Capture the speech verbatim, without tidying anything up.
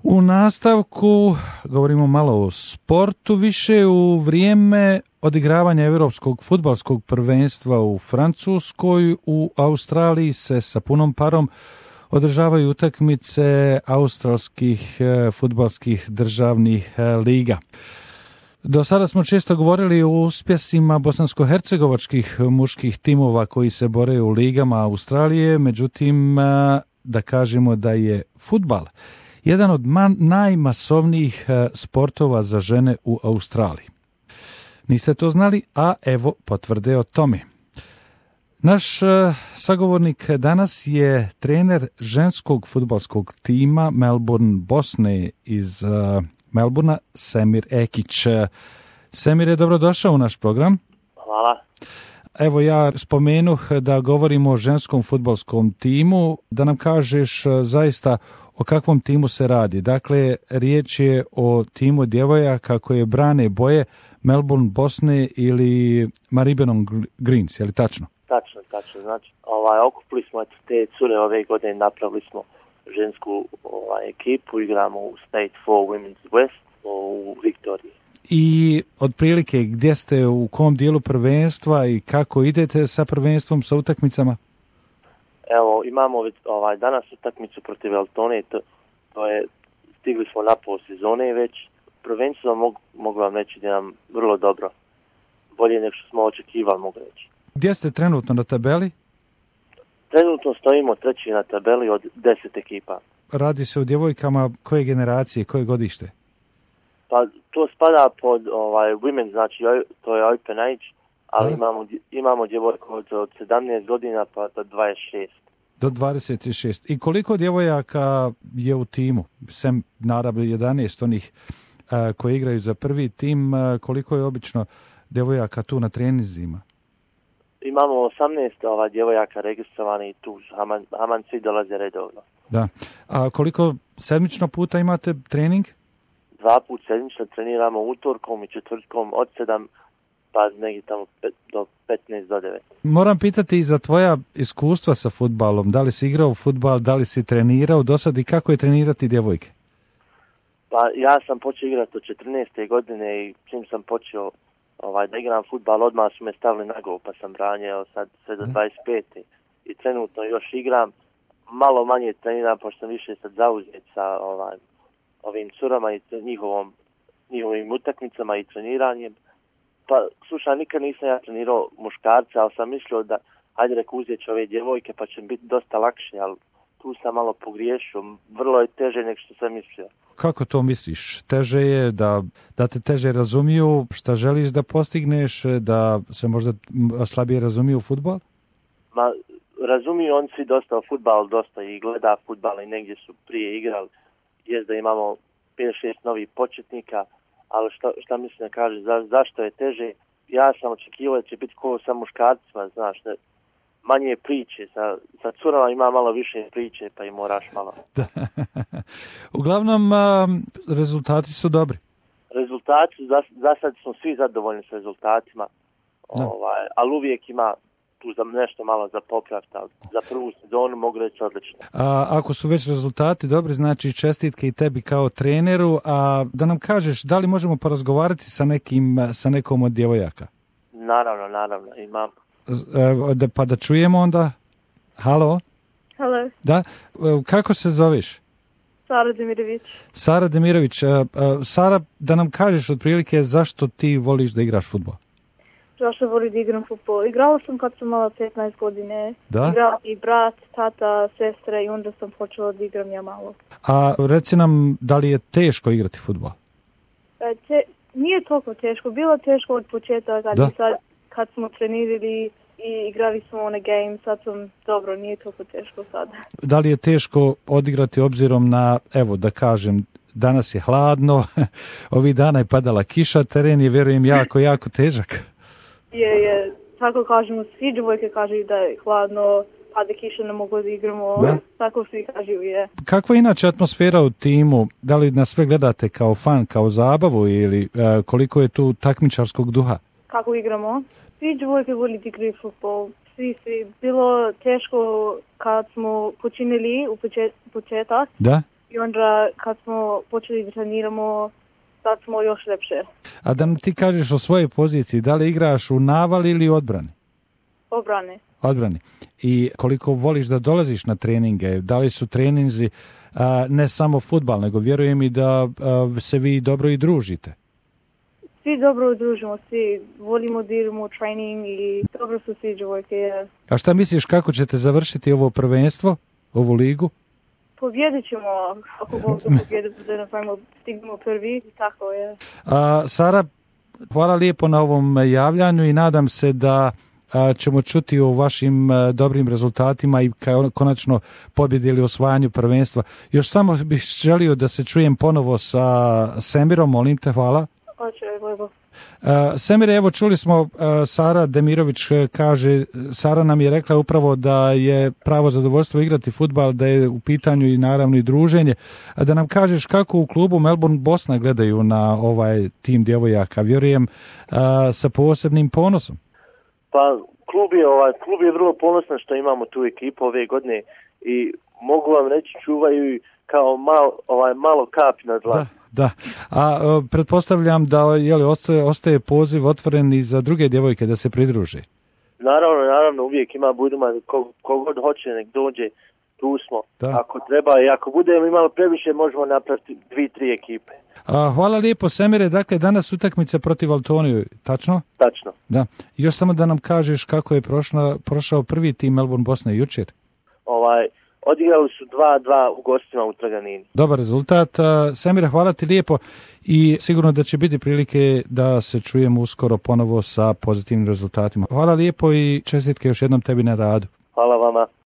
U nastavku govorimo malo o sportu više. U vrijeme odigravanja Europskog fudbalskog prvenstva u Francuskoj, u Australiji se sa punom parom održavaju utakmice australskih fudbalskih državnih liga. Do sada smo često govorili o uspjesima bosansko-hercegovačkih muških timova koji se bore u ligama Australije, međutim da kažemo da je fudbal jedan od man, najmasovnijih sportova za žene u Australiji. Niste to znali, a evo potvrde o tome. Naš sagovornik danas je trener ženskog fudbalskog tima Melbourne Bosne iz Melburna, Semir Ekić. Semir je dobrodošao u naš program. Hvala. Evo ja spomenuh da govorimo o ženskom fudbalskom timu, da nam kažeš zaista o kakvom timu se radi. Dakle, riječ je o timu djevojaka koje brane boje Melbourne Bosne ili Maribyrnong Greens, je li tačno? Tačno, tačno. Znači, ovaj, okupili smo eto, te cure ove godine, napravili smo žensku ovaj, ekipu, igramo u State four Women's West u Viktoriji. I otprilike gdje ste, u kom dijelu prvenstva i kako idete sa prvenstvom, sa utakmicama? Evo, imamo ovaj, danas utakmicu protiv Altone, to, to je, stigli smo na pol sezone već. Prvenstvo mogu, mogu vam reći da nam vrlo dobro, bolje nego što smo očekivali, mogu reći. Gdje ste trenutno na tabeli? Trenutno stojimo treći na tabeli od deset ekipa. Radi se o djevojkama koje generacije, koje godište? Pa to spada pod ovaj women, znači to je open age, ali A? imamo imamo djevojku od, od sedamnaest godina pa do dvadeset šest. Do dvadeset šest. I koliko djevojaka je u timu? Sem naravno jedanaest onih a, koji igraju za prvi tim, a, koliko je obično djevojaka tu na treninzima? Imamo osamnaest ova djevojaka registrovani i tu Haman, Haman svi dolaze redovno. Da. A koliko sedmično puta imate trening? Dva put sedmično treniramo utorkom i četvrtkom od sedam pa negdje tamo pet, do petnaest do devet. Moram pitati i za tvoja iskustva sa fudbalom. Da li si igrao fudbal, da li si trenirao do sad i kako je trenirati djevojke? Pa ja sam počeo igrati od četrnaeste godine i čim sam počeo ovaj, da igram fudbal, odmah su me stavili na gol, pa sam branio sad sve do dvadeset pete. I trenutno još igram, malo manje treniram, pošto sam više sad zauzet sa ovaj, ovim curama i njihovom, njihovim utakmicama i treniranjem. Pa, slušaj, nikad nisam ja trenirao muškarca, ali sam mislio da, hajde reko, uzet ću ove djevojke, pa će biti dosta lakše, ali tu sam malo pogriješio. Vrlo je teže nego što sam mislio. Kako to misliš? Teže je da, da te teže razumiju šta želiš da postigneš, da se možda slabije razumiju fudbal? Ma, razumiju on svi dosta o fudbalu, dosta i gleda fudbal i negdje su prije igrali. Jest da imamo pet šest novih početnika, ali šta, šta mislim da kaže, za, zašto je teže? Ja sam očekivao da će biti ko sa muškarcima, znaš, ne, manje priče, sa, sa curama ima malo više priče, pa i moraš malo. Da. Uglavnom, a, rezultati su dobri. Rezultati, za, za sad smo svi zadovoljni s rezultatima, ovaj, ali uvijek ima tu za nešto malo za popraviti, ali za prvu sezonu mogu reći odlično. A ako su već rezultati dobri, znači čestitke i tebi kao treneru, a da nam kažeš da li možemo porazgovarati sa nekim, sa nekom od djevojaka? Naravno, naravno, imam. Da, pa da čujemo onda. Halo? Halo. Da, kako se zoveš? Sara Demirović. Sara Demirović. Sara, da nam kažeš otprilike zašto ti voliš da igraš fudbal? Zašto volim da igram fudbal? Igrala sam kad sam mala petnaest godine. Da? Igrala i brat, tata, sestra i onda sam počela da igram ja malo. A reci nam, da li je teško igrati fudbal? E, te, nije toliko teško. Bilo teško od početka kad, sad, kad smo trenirali i igrali smo one game, sad sam dobro, nije toliko teško sada. Da li je teško odigrati obzirom na, evo da kažem, danas je hladno, ovih dana je padala kiša, teren je, vjerujem, jako, jako težak. Je, je, tako kažemo, svi djevojke kažu da je hladno, pada kiša, ne mogu da igramo, da? Tako svi kažu, je. Kakva je inače atmosfera u timu? Da li nas sve gledate kao fan, kao zabavu ili e, koliko je tu takmičarskog duha? Kako igramo? Svi djevojke voli da igraju fudbal. Svi, svi. Bilo teško kad smo počinili u počet, početak. Da? i onda kad smo počeli da treniramo, sad smo još lepše. A da nam ti kažeš o svojoj poziciji, da li igraš u navali ili odbrani? Obrane. Odbrani. I koliko voliš da dolaziš na treninge? Da li su treninzi a, ne samo fudbal, nego vjerujem i da a, se vi dobro i družite? Svi dobro družimo, svi volimo da idemo u trening i dobro su svi djevojke. A šta misliš kako ćete završiti ovo prvenstvo, ovu ligu? Pobjedit ćemo, ako Bog da pobjedimo, da napravimo, stignemo prvi, tako je. A, Sara, hvala lijepo na ovom javljanju i nadam se da a, ćemo čuti o vašim a, dobrim rezultatima i kao, konačno pobjedi ili osvajanju prvenstva. Još samo bih želio da se čujem ponovo sa Semirom, molim te, hvala. Hoće, Bojbo. Uh, Semire, evo čuli smo uh, Sara Demirović uh, kaže, Sara nam je rekla upravo da je pravo zadovoljstvo igrati fudbal, da je u pitanju i naravno i druženje. A da nam kažeš kako u klubu Melbourne Bosna gledaju na ovaj tim djevojaka, vjerujem uh, sa posebnim ponosom. Pa klub je, ovaj, klub je vrlo ponosan što imamo tu ekipu ove godine i mogu vam reći čuvaju kao mal, ovaj, malo kap na dlan. Da. Da, a uh, pretpostavljam da je li ostaje, ostaje poziv otvoren i za druge djevojke da se pridruže. Naravno, naravno, uvijek ima buduma, kogod hoće nek dođe, tu smo. Da. Ako treba i ako budemo imali previše, možemo napraviti dvi, tri ekipe. A, hvala lijepo, Semire, dakle danas utakmica protiv Valtoniju, tačno? Tačno. Da, još samo da nam kažeš kako je prošla, prošao prvi tim Melbourne Bosne jučer. Ovaj... Odigrali su dva dva u gostima u Trganini. Dobar rezultat. Semire, hvala ti lijepo i sigurno da će biti prilike da se čujemo uskoro ponovo sa pozitivnim rezultatima. Hvala lijepo i čestitke još jednom tebi na radu. Hvala vama.